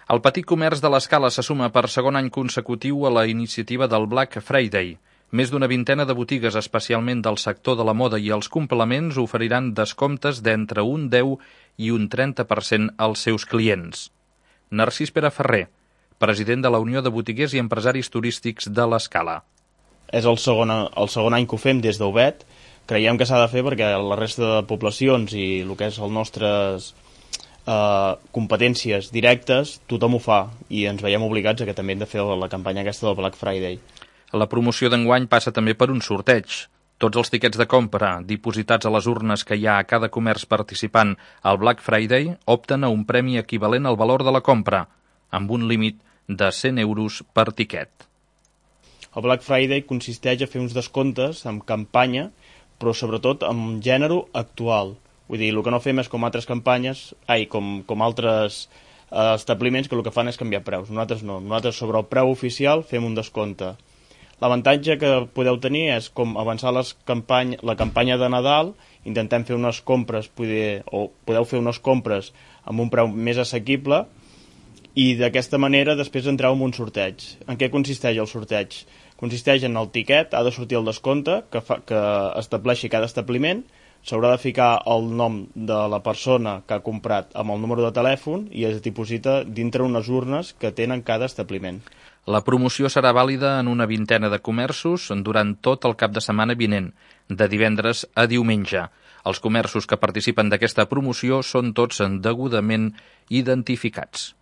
El petit comerç de l'Escala se suma per segon any consecutiu a la iniciativa del Black Friday. Més d'una vintena de botigues, especialment del sector de la moda i els complements, oferiran descomptes d'entre un 10 i un 30% als seus clients. Narcís Pere Ferrer, president de la Unió de Botiguers i Empresaris Turístics de l'Escala. És el segon any que ho fem des d'Obet. Creiem que s'ha de fer perquè la resta de poblacions i el que és les nostres competències directes, tothom ho fa i ens veiem obligats a que també hem de fer la campanya aquesta del Black Friday. La promoció d'enguany passa també per un sorteig. Tots els tiquets de compra dipositats a les urnes que hi ha a cada comerç participant al Black Friday opten a un premi equivalent al valor de la compra, amb un límit de 100 euros per tiquet. El Black Friday consisteix a fer uns descomptes amb campanya, però sobretot amb gènere actual. Vull dir, el que no fem és com altres campanyes, com altres establiments que el que fan és canviar preus. Nosaltres no. Nosaltres sobre el preu oficial fem un descompte. L'avantatge que podeu tenir és com avançar la campanya de Nadal, intentem fer unes compres, podeu fer unes compres amb un preu més assequible i d'aquesta manera després entreu en un sorteig. En què consisteix el sorteig? Consisteix en el tiquet, ha de sortir el descompte que estableixi cada establiment, s'haurà de ficar el nom de la persona que ha comprat amb el número de telèfon i es diposita dintre unes urnes que tenen cada establiment. La promoció serà vàlida en una vintena de comerços durant tot el cap de setmana vinent, de divendres a diumenge. Els comerços que participen d'aquesta promoció són tots degudament identificats.